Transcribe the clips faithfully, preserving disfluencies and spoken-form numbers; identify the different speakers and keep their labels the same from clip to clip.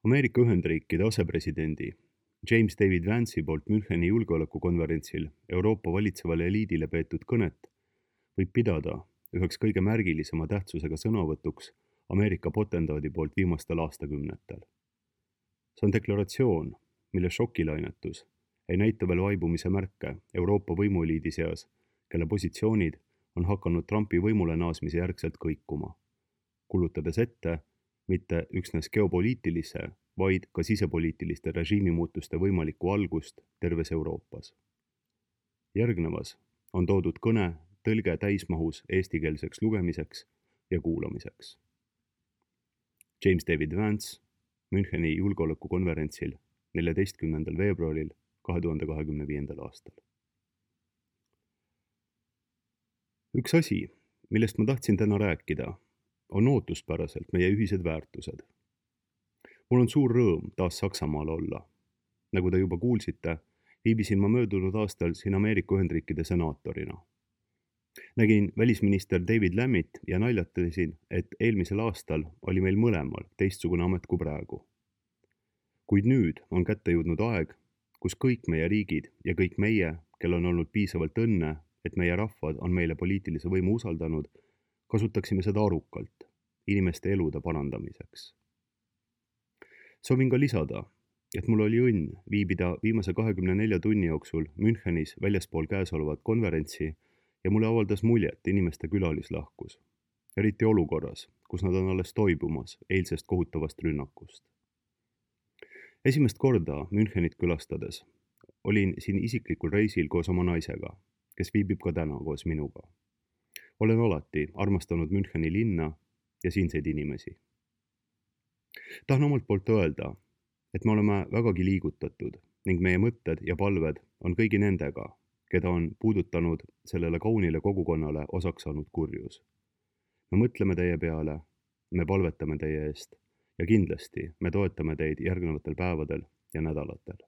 Speaker 1: Ameerika Ühendriikide asepresidendi James David Vance'i poolt Müncheni julgeolekukonverentsil Euroopa valitsevale eliidile peetud kõnet võib pidada üheks kõige märgilisema tähtsusega sõnavõtuks Ameerika potendaadi poolt viimastel aastakümnetel. See on deklaratsioon, mille šokilainetus ei näita veel vaibumise märke Euroopa võimueliidi seas, kelle positsioonid on hakanud Trumpi võimule naasmise järgselt kõikuma, kulutades ette mitte üksnes geopoliitilise, vaid ka sisepoliitiliste režiimimuutuste võimalikku algust terves Euroopas. Järgnevas on toodud kõne tõlge täismahus eestikeelseks lugemiseks ja kuulamiseks. James David Vance Müncheni julgeolekukonverentsil neljateistkümnendal veebruaril kahe tuhande kahekümne viiendal aastal. Üks asi, millest ma tahtsin täna rääkida, on ootuspäraselt meie ühised väärtused. Mul on suur rõõm taas Saksamaal olla. Nagu te juba kuulsite, viibisin ma möödunud aastal siin Ameerika Ühendriikide senaatorina. Nägin välisminister David Lammit ja naljatasin, et eelmisel aastal oli meil mõlemal teistsugune amet kui praegu. Kuid nüüd on kätte jõudnud aeg, kus kõik meie riigid ja kõik meie, kel on olnud piisavalt õnne, et meie rahvad on meile poliitilise võimu usaldanud, kasutaksime seda arukalt, inimeste elude parandamiseks. Soovin ka lisada, et mul oli õnn viibida viimase kahekümne nelja tunni jooksul Münchenis väljaspool käesolevat konverentsi ja mulle avaldas muljet inimeste külalislahkus, eriti olukorras, kus nad on alles toibumas eilsest kohutavast rünnakust. Esimest korda Münchenit külastades olin siin isiklikul reisil koos oma naisega, kes viibib ka täna koos minuga. Olen alati armastanud Müncheni linna ja siinseid inimesi. Tahan omalt poolt öelda, et me oleme vägagi liigutatud ning meie mõtted ja palved on kõigi nendega, keda on puudutanud sellele kaunile kogukonnale osaks saanud kurjus. Me mõtleme teie peale, me palvetame teie eest ja kindlasti me toetame teid järgnevatel päevadel ja nädalatel.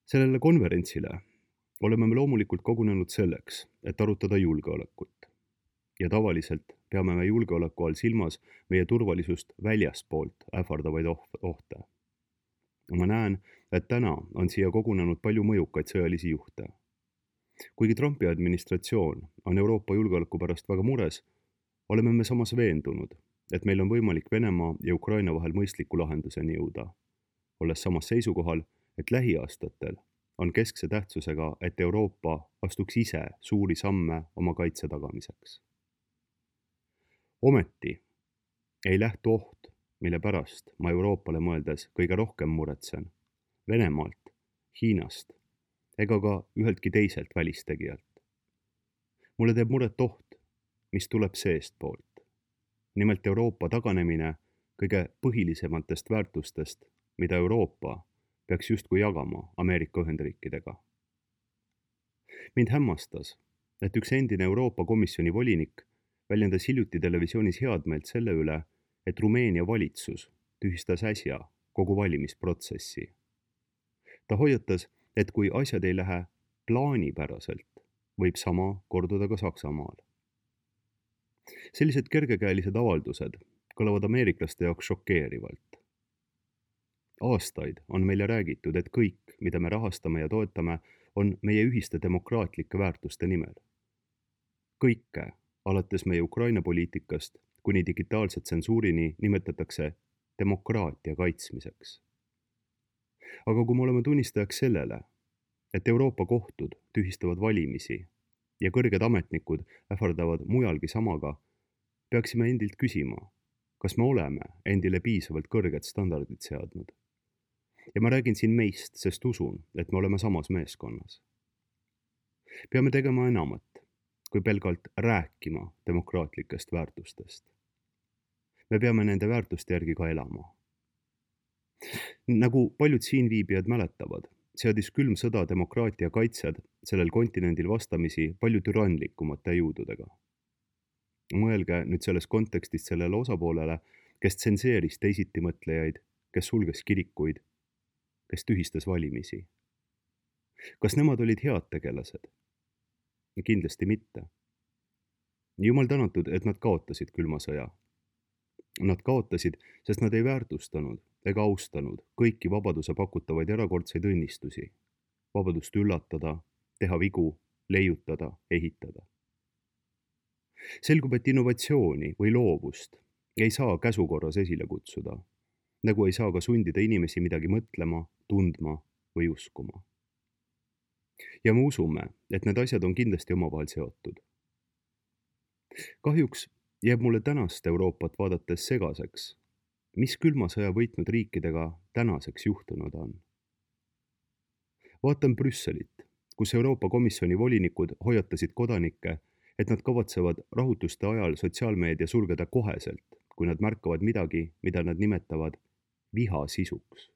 Speaker 1: Sellele konverentsile oleme me loomulikult kogunenud selleks, et arutada julgeolekut. Ja tavaliselt peame me julgeoleku all silmas meie turvalisust väljaspoolt ähvardavaid ohte. Ma näen, et täna on siia kogunenud palju mõjukaid sõjalisi juhte. Kuigi Trumpi administratsioon on Euroopa julgeoleku pärast väga mures, oleme me samas veendunud, et meil on võimalik Venemaa ja Ukraina vahel mõistliku lahenduseni jõuda, olles samas seisukohal, et lähiaastatel on keskse tähtsusega, et Euroopa astuks ise suuri samme oma kaitse tagamiseks. Ometi ei lähtu oht, mille pärast ma Euroopale mõeldes kõige rohkem muretsen, Venemaalt, Hiinast ega ka üheltki teiselt välistegijalt. Mulle teeb muret oht, mis tuleb seestpoolt. Nimelt Euroopa taganemine kõige põhilisematest väärtustest, mida Euroopa peaks justkui jagama Ameerika Ühendriikidega. Mind hämmastas, et üks endine Euroopa Komisjoni volinik väljendas hiljuti televisioonis headmeelt selle üle, et Rumeenia valitsus tühistas äsja kogu valimisprotsessi. Ta hoiatas, et kui asjad ei lähe plaanipäraselt, võib sama korduda ka Saksamaal. Sellised kergekäelised avaldused kõlavad ameeriklaste jaoks šokeerivalt. Aastaid on meile räägitud, et kõik, mida me rahastame ja toetame, on meie ühiste demokraatlike väärtuste nimel. Kõike, alates meie Ukraina poliitikast, kuni digitaalse tsensuurini nimetatakse demokraatia kaitsmiseks. Aga kui me oleme tunnistajaks sellele, et Euroopa kohtud tühistavad valimisi ja kõrged ametnikud ähvardavad mujalgi samaga, peaksime endilt küsima, kas me oleme endile piisavalt kõrged standardid seadnud. Ja ma räägin siin meist, sest usun, et me oleme samas meeskonnas. Peame tegema enamat, kui pelgalt rääkima demokraatlikest väärtustest. Me peame nende väärtuste järgi ka elama. Nagu paljud siinviibijad mäletavad, seadis külm sõda demokraatia kaitsjad sellel kontinendil vastamisi palju türanlikumate jõududega. Mõelge nüüd selles kontekstis sellele osapoolele, kes tsenseeris teisitimõtlejaid, kes sulges kirikuid, kes tühistas valimisi. Kas nemad olid head tegelased? Kindlasti mitte. Jumal tänatud, et nad kaotasid külma sõja. Nad kaotasid, sest nad ei väärtustanud ega austanud kõiki vabaduse pakutavaid erakordseid õnnistusi. Vabadust üllatada, teha vigu, leiutada, ehitada. Selgub, et innovatsiooni või loovust ei saa käsukorras esile kutsuda, nagu ei saa ka sundida inimesi midagi mõtlema, tundma või uskuma. Ja me usume, et need asjad on kindlasti omavahel seotud. Kahjuks jääb mulle tänast Euroopat vaadates segaseks, mis külma sõja võitnud riikidega tänaseks juhtunud on. Vaatan Brüsselit, kus Euroopa Komisjoni volinikud hoiatasid kodanikke, et nad kavatsevad rahutuste ajal sotsiaalmeedia sulgeda koheselt, kui nad märkavad midagi, mida nad nimetavad viha sisuks.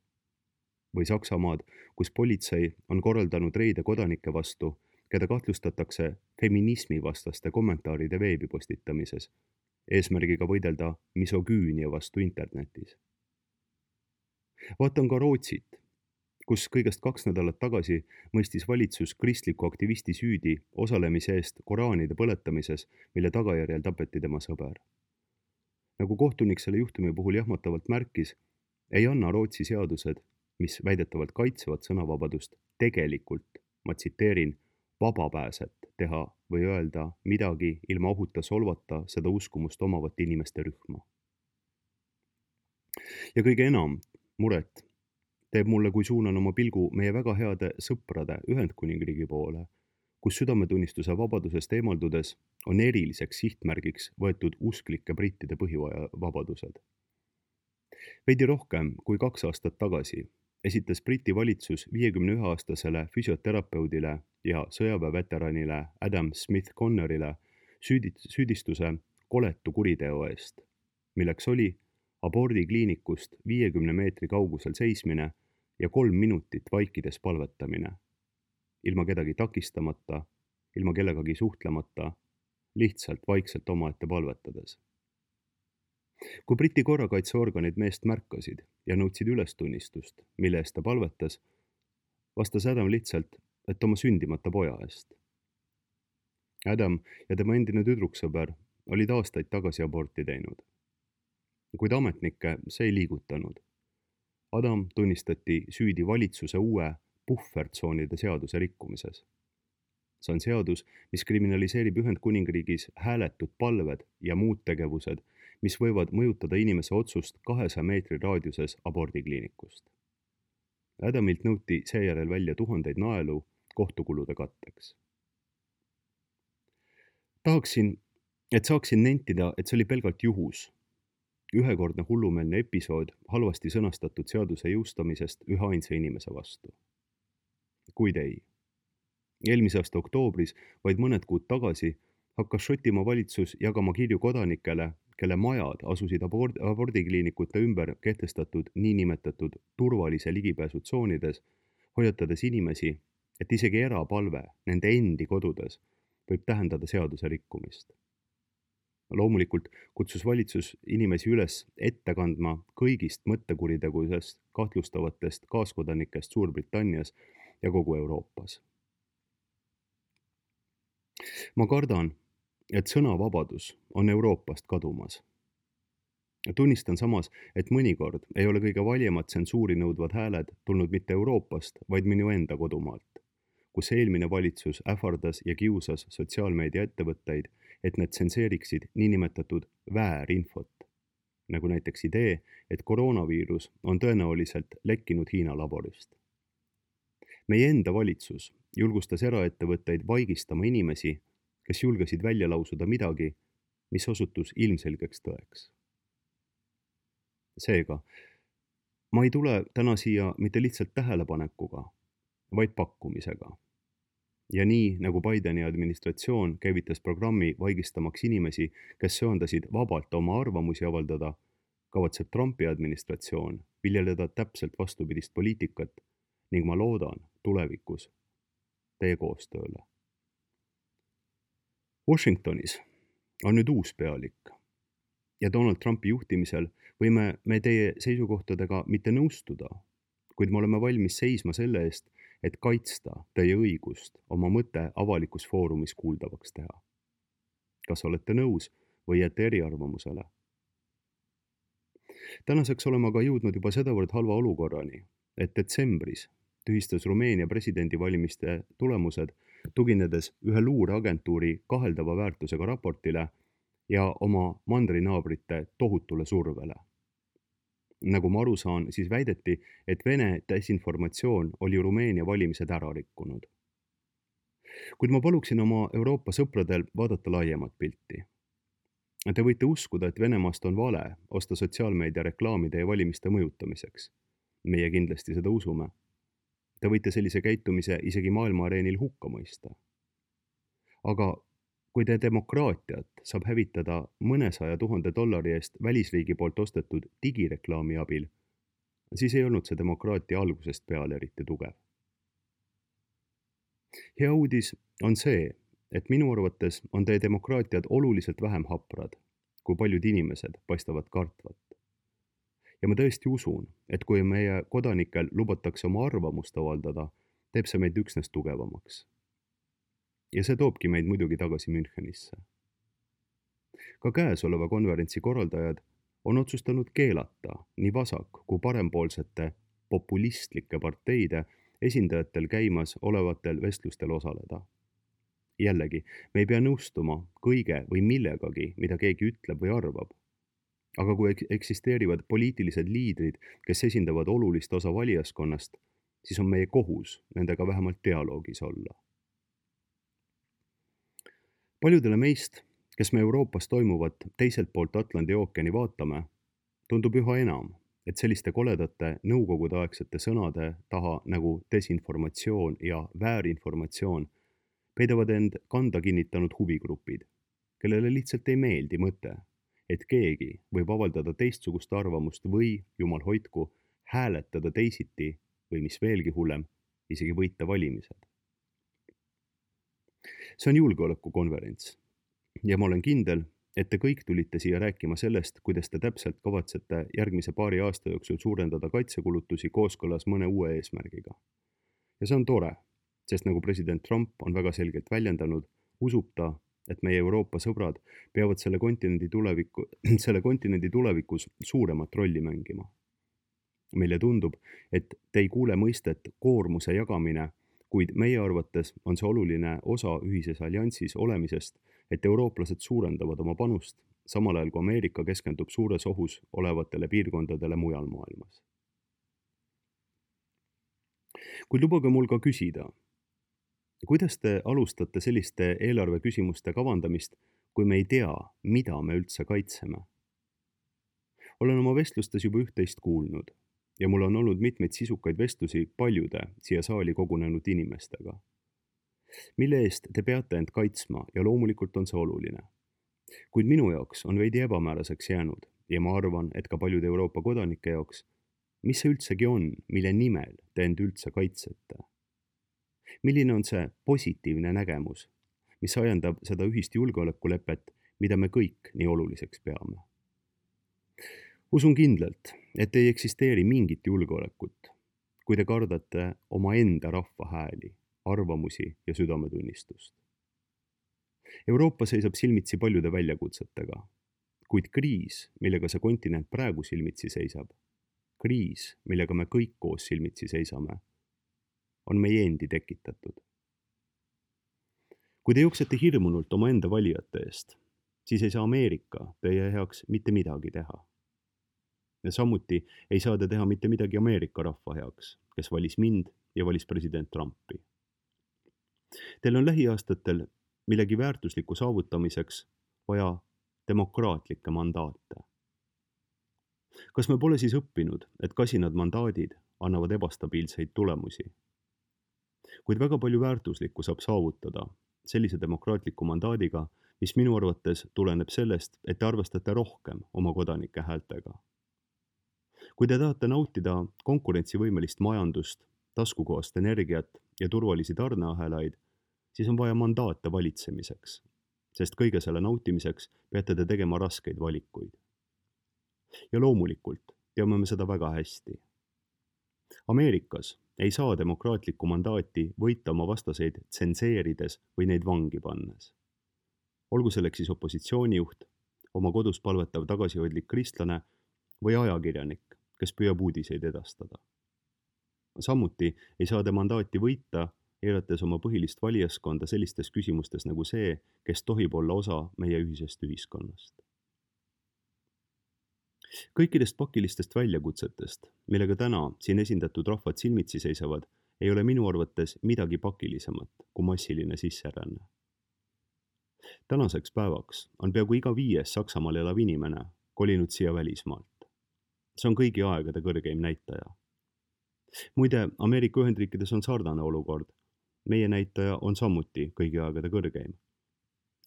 Speaker 1: Või Saksamaad, kus politsei on korraldanud reide kodanike vastu, keda kahtlustatakse feminismi vastaste kommentaaride veebi postitamises, eesmärgiga võidelda misogüünia vastu internetis. Vaatan ka Rootsit, kus kõigest kaks nädalat tagasi mõistis valitsus kristliku aktivisti süüdi osalemise eest koraanide põletamises, mille tagajärjel tapeti tema sõber. Nagu kohtunik selle juhtumi puhul jahmatavalt märkis, ei anna Rootsi seadused, mis väidetavalt kaitsevad sõnavabadust, tegelikult, ma tsiteerin, vabapääset teha või öelda midagi ilma ohuta solvata seda uskumust omavat inimeste rühma. Ja kõige enam muret teeb mulle, kui suunan oma pilgu meie väga heade sõprade Ühendkuningriigi poole, kus südametunnistuse vabadusest eemaldudes on eriliseks sihtmärgiks võetud usklike brittide põhivabadused. Veidi rohkem kui kaks aastat tagasi esitas Briti valitsus viiekümne ühe aastasele füsioterapeudile ja sõjaväeveteranile Adam Smith Connerile süüdistuse koletu kuriteo eest, milleks oli abordikliinikust viiekümne meetri kaugusel seismine ja kolm minutit vaikides palvetamine, ilma kedagi takistamata, ilma kellegagi suhtlemata, lihtsalt vaikselt omaette palvetades. Kui Briti korrakaitseorganid meest märkasid ja nõudsid ülestunnistust, mille eest ta palvetas, vastas Adam lihtsalt, et oma sündimata poja eest. Adam ja tema endine tüdruksõber olid aastaid tagasi aborti teinud. Kuid ametnikke see ei liigutanud. Adam tunnistati süüdi valitsuse uue puhvertsoonide seaduse rikkumises. See on seadus, mis kriminaliseerib Ühendkuningriigis hääletud palved ja muud tegevused, mis võivad mõjutada inimese otsust kahesaja meetri raadiuses abordikliinikust. Adamilt nõuti seejärel välja tuhandeid naelu kohtukulude katteks. Tahaksin, et saaksin nentida, et see oli pelgalt juhus. Ühekordne hullumeelne episood halvasti sõnastatud seaduse jõustamisest ühe ainsa inimese vastu. Kuid ei. Eelmise aasta oktoobris, vaid mõned kuud tagasi, hakkas Šotimaa valitsus jagama kirju kodanikele, kelle majad asusid abord- abordikliinikute ümber kehtestatud niinimetatud turvalise ligipääsutsoonides, hoiatades inimesi, et isegi erapalve nende endi kodudes võib tähendada seaduse rikkumist. Loomulikult kutsus valitsus inimesi üles ette kandma kõigist mõttekuritegudest kahtlustavatest kaaskodanikest Suurbritannias ja kogu Euroopas. Ma kardan, et sõnavabadus on Euroopast kadumas. Tunnistan samas, et mõnikord ei ole kõige valjemad tsensuuri nõudvad hääled tulnud mitte Euroopast, vaid minu enda kodumaalt, kus eelmine valitsus ähvardas ja kiusas sotsiaalmeedia ettevõtteid, et need tsenseeriksid niinimetatud väärinfot, nagu näiteks idee, et koroonaviirus on tõenäoliselt lekkinud Hiina laborist. Meie enda valitsus julgustas eraettevõtteid vaigistama inimesi, kes julgesid välja lausuda midagi, mis osutus ilmselgeks tõeks. Seega, ma ei tule täna siia mitte lihtsalt tähelepanekuga, vaid pakkumisega. Ja nii, nagu Bideni administratsioon käivitas programmi vaigistamaks inimesi, kes söandasid vabalt oma arvamusi avaldada, kavatseb Trumpi administratsioon viljeleda täpselt vastupidist poliitikat ning ma loodan tulevikus teie koostööle. Washingtonis on nüüd uus pealik ja Donald Trumpi juhtimisel võime me teie seisukohtadega mitte nõustuda, kuid me oleme valmis seisma selle eest, et kaitsta teie õigust oma mõte avalikus foorumis kuuldavaks teha. Kas olete nõus või jääte eriarvamusele? Tänaseks oleme aga jõudnud juba sedavõrd halva olukorrani, et detsembris tühistas Rumeenia presidendivalimiste tulemused, tuginedes ühe luureagentuuri kaheldava väärtusega raportile ja oma mandrinaabrite tohutule survele. Nagu ma aru saan, siis väideti, et Vene desinformatsioon oli Rumeenia valimised ära rikkunud. Kuid ma paluksin oma Euroopa sõpradel vaadata laiemat pilti. Te võite uskuda, et Venemaast on vale osta sotsiaalmeedia reklaamide ja valimiste mõjutamiseks. Meie kindlasti seda usume. Te võite sellise käitumise isegi maailma areenil hukka mõista. Aga kui te demokraatiat saab hävitada mõnesaja tuhande dollari eest välisriigi poolt ostetud digireklaami abil, siis ei olnud see demokraatia algusest peale eriti tugev. Hea uudis on see, et minu arvates on teie demokraatiad oluliselt vähem haprad, kui paljud inimesed paistavad kartvat. Ja ma tõesti usun, et kui meie kodanikel lubatakse oma arvamust avaldada, teeb see meid üksnes tugevamaks. Ja see toobki meid muidugi tagasi Münchenisse. Ka käesoleva konverentsi korraldajad on otsustanud keelata nii vasak- kui parempoolsete populistlike parteide esindajatel käimas olevatel vestlustel osaleda. Jällegi, me ei pea nõustuma kõige või millegagi, mida keegi ütleb või arvab. Aga kui eksisteerivad poliitilised liidrid, kes esindavad olulist osa valijaskonnast, siis on meie kohus nendega vähemalt dialoogis olla. Paljudele meist, kes me Euroopas toimuvat teiselt poolt Atlandi ookeani vaatame, tundub üha enam, et selliste koledate nõukogudeaegsete sõnade taha nagu desinformatsioon ja väärinformatsioon peidavad end kanda kinnitanud huvigrupid, kellele lihtsalt ei meeldi mõte, et keegi võib avaldada teistsugust arvamust või, jumal hoidku, hääletada teisiti või mis veelgi hullem, isegi võita valimised. See on julgeolekukonverents ja ma olen kindel, et te kõik tulite siia rääkima sellest, kuidas te täpselt kavatsete järgmise paari aasta jooksul suurendada kaitsekulutusi kooskõlas mõne uue eesmärgiga. Ja see on tore, sest nagu president Trump on väga selgelt väljendanud, usub ta, et meie Euroopa sõbrad peavad selle kontinendi, tuleviku, selle kontinendi tulevikus suuremat rolli mängima. Meile tundub, et te ei kuule mõistet koormuse jagamine, kuid meie arvates on see oluline osa ühises alliansis olemisest, et eurooplased suurendavad oma panust, samal ajal kui Ameerika keskendub suures ohus olevatele piirkondadele mujal maailmas. Kuid lubage mul ka küsida, kuidas te alustate selliste eelarve küsimuste kavandamist, kui me ei tea, mida me üldse kaitseme? Olen oma vestlustes juba üht-teist kuulnud ja mul on olnud mitmeid sisukaid vestlusi paljude siia saali kogunenud inimestega. Mille eest te peate end kaitsma ja loomulikult on see oluline. Kuid minu jaoks on veidi ebamääraseks jäänud ja ma arvan, et ka paljude Euroopa kodanike jaoks, mis see üldsegi on, mille nimel te end üldse kaitsete? Milline on see positiivne nägemus, mis ajendab seda ühist julgeolekulepet, mida me kõik nii oluliseks peame? Usun kindlalt, et ei eksisteeri mingit julgeolekut, kui te kardate oma enda rahva hääli, arvamusi ja südametunnistust. Euroopa seisab silmitsi paljude väljakutsetega, kuid kriis, millega see kontinent praegu silmitsi seisab, kriis, millega me kõik koos silmitsi seisame, on meie endi tekitatud. Kui te jooksete hirmunult oma enda valijate eest, siis ei saa Ameerika teie heaks mitte midagi teha. Ja samuti ei saa te teha mitte midagi Ameerika rahva heaks, kes valis mind ja valis president Trumpi. Teil on lähiaastatel millegi väärtusliku saavutamiseks vaja demokraatlikke mandaate. Kas me pole siis õppinud, et kasinad mandaadid annavad ebastabiilseid tulemusi? Kuid väga palju väärtuslikku saab saavutada sellise demokraatliku mandaadiga, mis minu arvates tuleneb sellest, et te arvestate rohkem oma kodanike häältega. Kui te tahate nautida konkurentsivõimelist majandust, taskukohast energiat ja turvalisi tarneahelaid, siis on vaja mandaate valitsemiseks, sest kõige selle nautimiseks peate te tegema raskeid valikuid. Ja loomulikult teame me seda väga hästi. Ameerikas ei saa demokraatlikku mandaati võita oma vastaseid tsenseerides või neid vangi pannes. Olgu selleks siis opositsioonijuht, oma kodus palvetav tagasihoidlik kristlane või ajakirjanik, kes püüab uudiseid edastada. Samuti ei saa te mandaati võita, eirates oma põhilist valijaskonda sellistes küsimustes nagu see, kes tohib olla osa meie ühisest ühiskonnast. Kõikidest pakilistest väljakutsetest, millega täna siin esindatud rahvad silmitsi seisavad, ei ole minu arvates midagi pakilisemat kui massiline sisseränne. Tänaseks päevaks on peaaegu iga viies Saksamaal elav inimene kolinud siia välismaalt. See on kõigi aegade kõrgeim näitaja. Muide, Ameerika Ühendriikides on sarnane olukord. Meie näitaja on samuti kõigi aegade kõrgeim.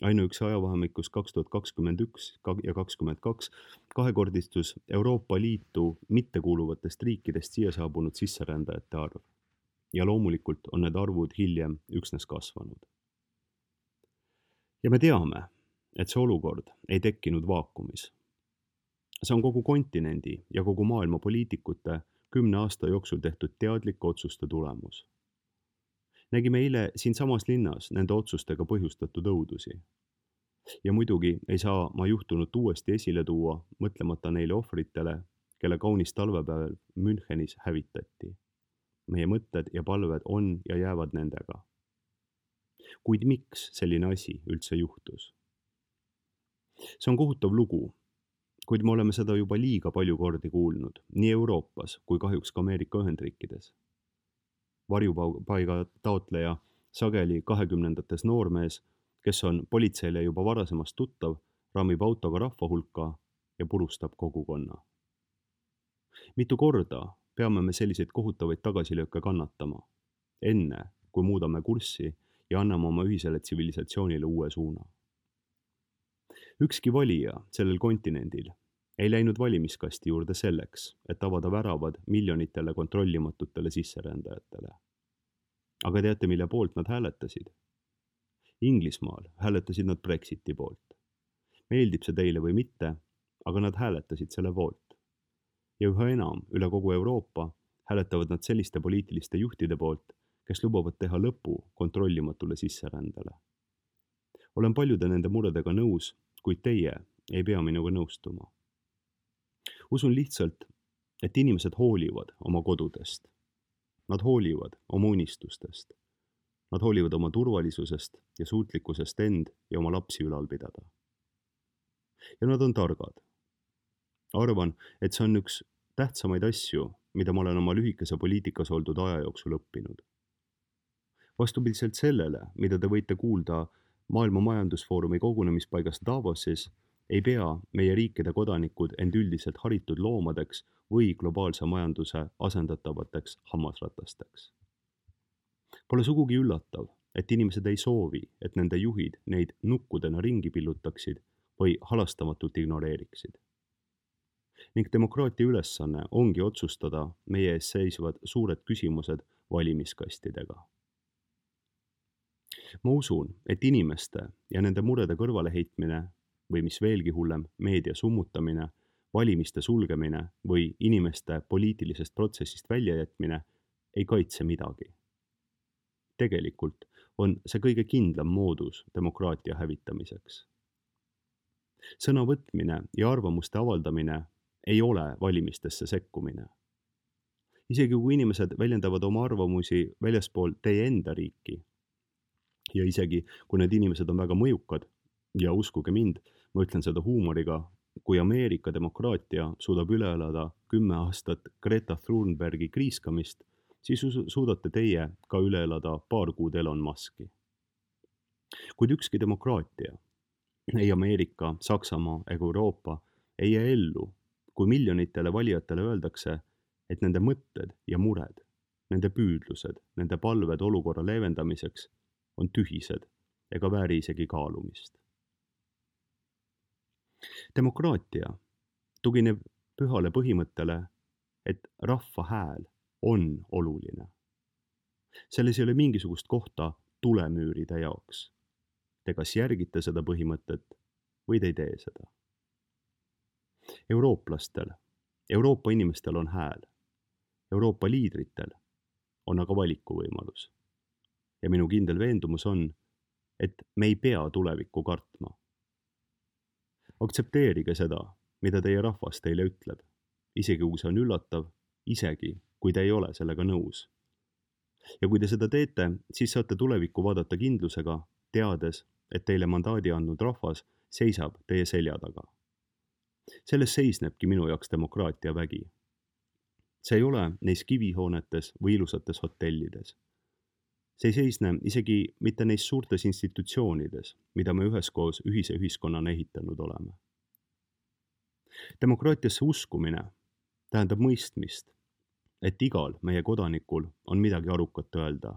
Speaker 1: Ainuüksi ajavahemikus kaks tuhat kakskümmend üks ja kakskümmend kaks kahekordistus Euroopa Liitu mittekuuluvatest riikidest siia saabunud sisserändajate arv. Ja loomulikult on need arvud hiljem üksnes kasvanud. Ja me teame, et see olukord ei tekkinud vaakumis. See on kogu kontinendi ja kogu maailma poliitikute kümne aasta jooksul tehtud teadlike otsuste tulemus. Nägime eile siin samas linnas nende otsustega põhjustatud õudusi. Ja muidugi ei saa ma juhtunut uuesti esile tuua, mõtlemata neile ohvritele, kelle kaunis talvepäeval Münchenis hävitati. Meie mõtted ja palved on ja jäävad nendega. Kuid miks selline asi üldse juhtus? See on kohutav lugu, kuid me oleme seda juba liiga palju kordi kuulnud, nii Euroopas kui kahjuks ka Ameerika Ühendriikides. Varjupaiga taotleja sageli kahekümnendates noormees, kes on politseile juba varasemast tuttav, rammib autoga rahva hulka ja purustab kogukonna. Mitu korda peame me selliseid kohutavaid tagasilööke kannatama, enne kui muudame kurssi ja anname oma ühisele tsivilisatsioonile uue suuna. Ükski valija sellel kontinendil ei läinud valimiskasti juurde selleks, et avada väravad miljonitele kontrollimatutele sisserändajatele. Aga teate, mille poolt nad hääletasid? Inglismaal hääletasid nad Brexiti poolt. Meeldib see teile või mitte, aga nad hääletasid selle poolt. Ja üha enam üle kogu Euroopa hääletavad nad selliste poliitiliste juhtide poolt, kes lubavad teha lõpu kontrollimatule sisserändele. Olen paljude nende muredega nõus, kuid teie ei pea minuga nõustuma. Usun lihtsalt, et inimesed hoolivad oma kodudest. Nad hoolivad oma unistustest. Nad hoolivad oma turvalisusest ja suutlikkusest end ja oma lapsi ülal pidada. Ja nad on targad. Arvan, et see on üks tähtsamaid asju, mida ma olen oma lühikese poliitikas oldud aja jooksul õppinud. Vastupidiselt sellele, mida te võite kuulda Maailma Majandusfoorumi kogunemispaigast Davosis, ei pea meie riikide kodanikud end üldiselt haritud loomadeks või globaalse majanduse asendatavateks hammasratasteks. Pole sugugi üllatav, et inimesed ei soovi, et nende juhid neid nukkudena ringi pillutaksid või halastamatult ignoreeriksid. Ning demokraatia ülesanne ongi otsustada meie ees seisvad suured küsimused valimiskastidega. Ma usun, et inimeste ja nende murede kõrvaleheitmine või mis veelgi hullem, meedia summutamine, valimiste sulgemine või inimeste poliitilisest protsessist väljajätmine ei kaitse midagi. Tegelikult on see kõige kindlam moodus demokraatia hävitamiseks. Sõna võtmine ja arvamuste avaldamine ei ole valimistesse sekkumine. Isegi kui inimesed väljendavad oma arvamusi väljaspool teie enda riiki ja isegi kui need inimesed on väga mõjukad ja uskuge mind, ma ütlen seda huumoriga, kui Ameerika demokraatia suudab üle elada kümme aastat Greta Thunbergi kriiskamist, siis suudate teie ka üle elada paar kuud Elon Muski. Kuid ükski demokraatia, ei Ameerika, Saksamaa ega Euroopa ei jää ellu, kui miljonitele valijatele öeldakse, et nende mõtted ja mured, nende püüdlused, nende palved olukorra leevendamiseks on tühised ega vääri isegi kaalumist. Demokraatia tugineb pühale põhimõttele, et rahva hääl on oluline. Selles ei ole mingisugust kohta tulemüüride jaoks. Te kas järgite seda põhimõtet või te ei tee seda. Eurooplastel, Euroopa inimestel on hääl. Euroopa liidritel on aga valikuvõimalus. Ja minu kindel veendumus on, et me ei pea tulevikku kartma. Aktsepteerige seda, mida teie rahvas teile ütleb. isegi kui see on üllatav, isegi kui te ei ole sellega nõus. Ja kui te seda teete, siis saate tulevikku vaadata kindlusega, teades, et teile mandaadi andnud rahvas seisab teie selja taga. Selles seisnebki minu jaoks demokraatia vägi. See ei ole neis kivihoonetes või ilusates hotellides. See ei seisne isegi mitte neis suurtes institutsioonides, mida me üheskoos ühise ühiskonnana ehitanud oleme. Demokraatiasse uskumine tähendab mõistmist, et igal meie kodanikul on midagi arukat öelda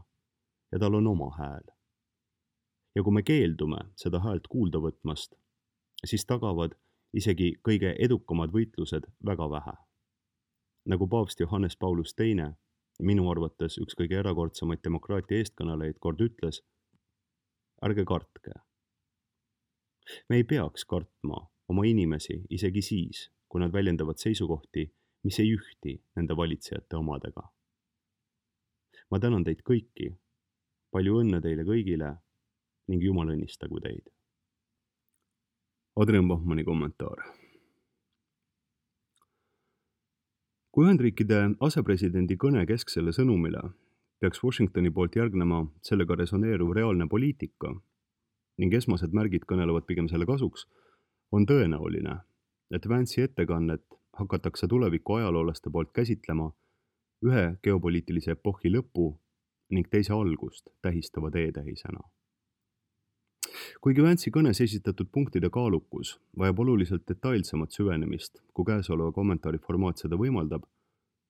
Speaker 1: ja tal on oma hääl. Ja kui me keeldume seda häält kuulda võtmast, siis tagavad isegi kõige edukamad võitlused väga vähe. Nagu paavst Johannes Paulus teine, minu arvates üks kõige erakordsemaid demokraatia eestkõnelejaid kord ütles, ärge kartke. Me ei peaks kartma oma inimesi isegi siis, kui nad väljendavad seisukohti, mis ei ühti nende valitsejate omadega. Ma tänan teid kõiki, palju õnne teile kõigile ning Jumal õnnistagu teid. Adrian Bachmanni kommentaar. Kui Ühendriikide asepresidendi kõne kesksele sõnumile peaks Washingtoni poolt järgnema sellega resoneeruv reaalne poliitika ning esmased märgid kõnelevad pigem selle kasuks, on tõenäoline, et Vance'i ettekannet hakatakse tuleviku ajaloolaste poolt käsitlema ühe geopoliitilise epohhi lõpu ning teise algust tähistava teetähisena. Kuigi Vance'i kõnes esitatud punktide kaalukus vajab oluliselt detailsemat süvenemist, kui käesoleva kommentaari formaat seda võimaldab,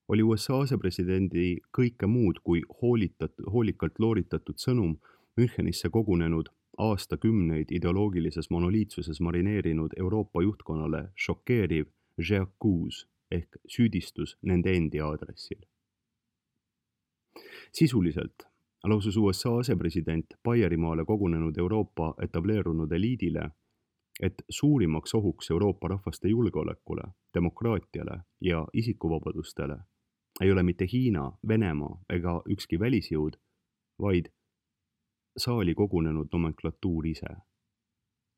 Speaker 1: oli U S A asepresidendi kõike muud kui hoolitat, hoolikalt looritatud sõnum Münchenisse kogunenud aastakümneid ideoloogilises monoliitsuses marineerinud Euroopa juhtkonnale šokeeriv j'accuse ehk süüdistus nende endi aadressil. Sisuliselt lausus U S A asepresident Baierimaale kogunenud Euroopa etableerunud eliidile, et suurimaks ohuks Euroopa rahvaste julgeolekule, demokraatiale ja isikuvabadustele ei ole mitte Hiina, Venemaa ega ükski välisjõud, vaid saali kogunenud nomenklatuur ise,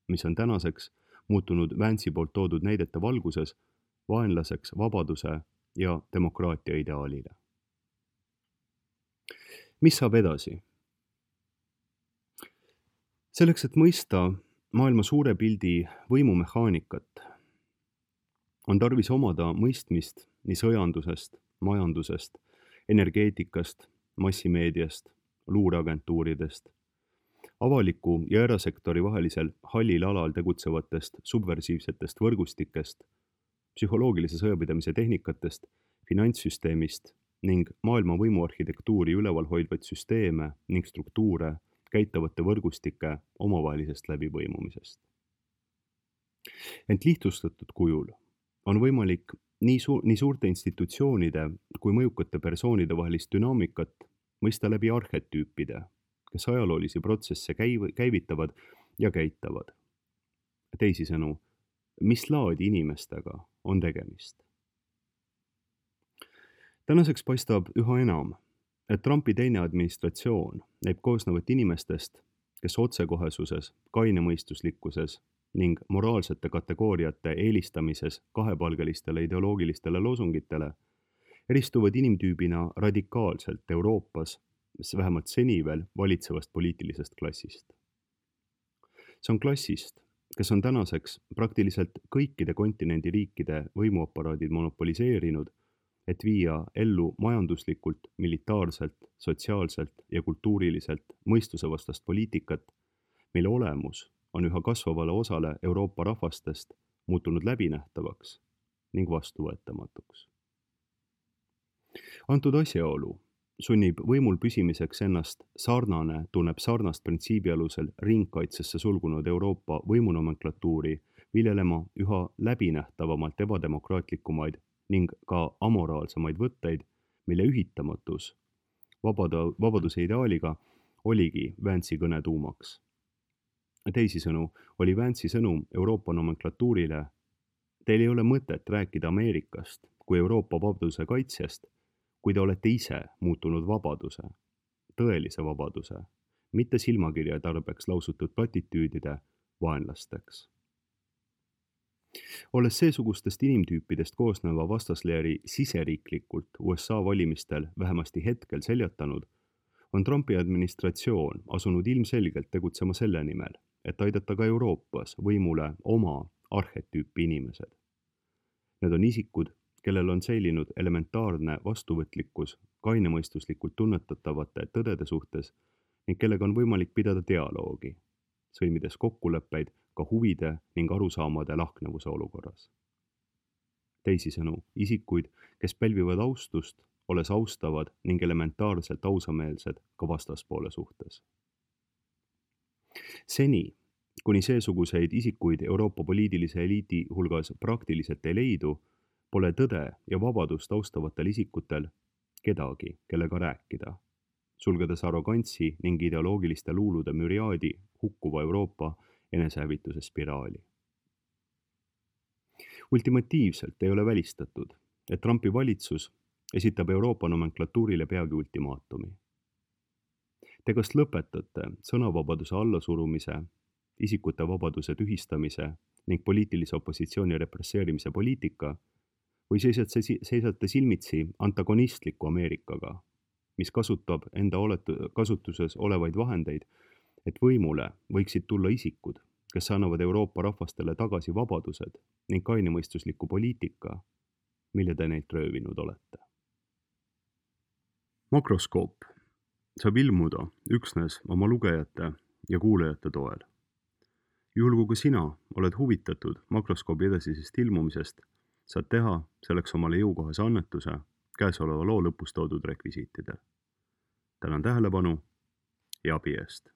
Speaker 1: mis on tänaseks muutunud Vance'i poolt toodud näidete valguses vaenlaseks vabaduse ja demokraatia ideaalile. Mis saab edasi? Selleks, et mõista maailma suure pildi võimumehaanikat, on tarvis omada mõistmist nii sõjandusest, majandusest, energeetikast, massimeediast, luureagentuuridest, avaliku ja erasektori vahelisel hallil alal tegutsevatest subversiivsetest võrgustikest, psühholoogilise sõjapidamise tehnikatest, finantssüsteemist ning maailma võimuarhitektuuri üleval hoidvaid süsteeme ning struktuure käitavate võrgustike omavahelisest läbipõimumisest. Ent lihtsustatud kujul on võimalik nii, su- nii suurte institutsioonide kui mõjukate persoonide vahelist dünaamikat mõista läbi arhetüüpide, kes ajaloolisi protsesse käiv- käivitavad ja käitavad. Teisisõnu, mis laadi inimestega on tegemist? Tänaseks paistab üha enam, et Trumpi teine administratsioon näib koosnevat inimestest, kes otsekohesuses, kainemõistuslikkuses ning moraalsete kategooriate eelistamises kahepalgelistele ideoloogilistele loosungitele eristuvad inimtüübina radikaalselt Euroopas, vähemalt seni veel valitsevast poliitilisest klassist. See on klassist, kes on tänaseks praktiliselt kõikide kontinendi riikide võimuaparaadid monopoliseerinud, et viia ellu majanduslikult, militaarselt, sotsiaalselt ja kultuuriliselt mõistusevastast poliitikat, mille olemus on üha kasvavale osale Euroopa rahvastest muutunud läbinähtavaks ning vastuvõetamatuks. Antud asjaolu sunnib võimul püsimiseks ennast sarnane, tunneb sarnast printsiibi alusel ringkaitsesse sulgunud Euroopa võimunomenklatuuri viljelema üha läbinähtavamalt ebademokraatlikumaid ning ka amoraalsemaid võtteid, mille ühitamatus vabada, vabaduse ideaaliga oligi Vance'i kõne tuumaks. Teisisõnu oli Vance'i sõnum Euroopa nomenklatuurile, teil ei ole mõtet rääkida Ameerikast kui Euroopa vabaduse kaitsjast, kui te olete ise muutunud vabaduse, tõelise vabaduse, mitte silmakirja tarbeks lausutud platitüüdide vaenlasteks. olles seesugustest inimtüüpidest koosneva vastasleeri siseriiklikult U S A valimistel vähemasti hetkel seljatanud, on Trumpi administratsioon asunud ilmselgelt tegutsema selle nimel, et aidata ka Euroopas võimule oma arhetüüpi inimesed. Need on isikud, kellel on säilinud elementaarne vastuvõtlikkus kainemõistuslikult tunnetatavate tõdede suhtes ning kellega on võimalik pidada dialoogi, sõlmides kokkuleppeid ka huvide ning arusaamade lahknevuse olukorras. Teisisõnu, isikuid, kes pälvivad austust, olles austavad ning elementaarselt ausameelsed ka vastaspoole suhtes. Seni, kuni seesuguseid isikuid Euroopa poliitilise eliidi hulgas praktiliselt ei leidu, pole tõde ja vabadust austavatel isikutel kedagi, kellega rääkida, sulgedes arrogantsi ning ideoloogiliste luulude müriaadi hukkuva Euroopa enesehävituse spiraali. Ultimatiivselt ei ole välistatud, et Trumpi valitsus esitab Euroopa nomenklatuurile peagi ultimaatumi. Te kas lõpetate sõnavabaduse allasurumise, isikute vabaduse tühistamise ning poliitilise opositsiooni represseerimise poliitika või seisate, seisate silmitsi antagonistliku Ameerikaga, mis kasutab enda oletu, kasutuses olevaid vahendeid, et võimule võiksid tulla isikud, kes annavad Euroopa rahvastele tagasi vabadused ning kainemõistusliku poliitika, mille te neilt röövinud olete. Makroskoop saab ilmuda üksnes oma lugejate ja kuulajate toel. Juhul kui ka sina oled huvitatud makroskoobi edasisest ilmumisest, saad teha selleks omale jõukohase annetuse käesoleva loo lõpus toodud rekvisiitidel. Tänan tähelepanu ja abi eest!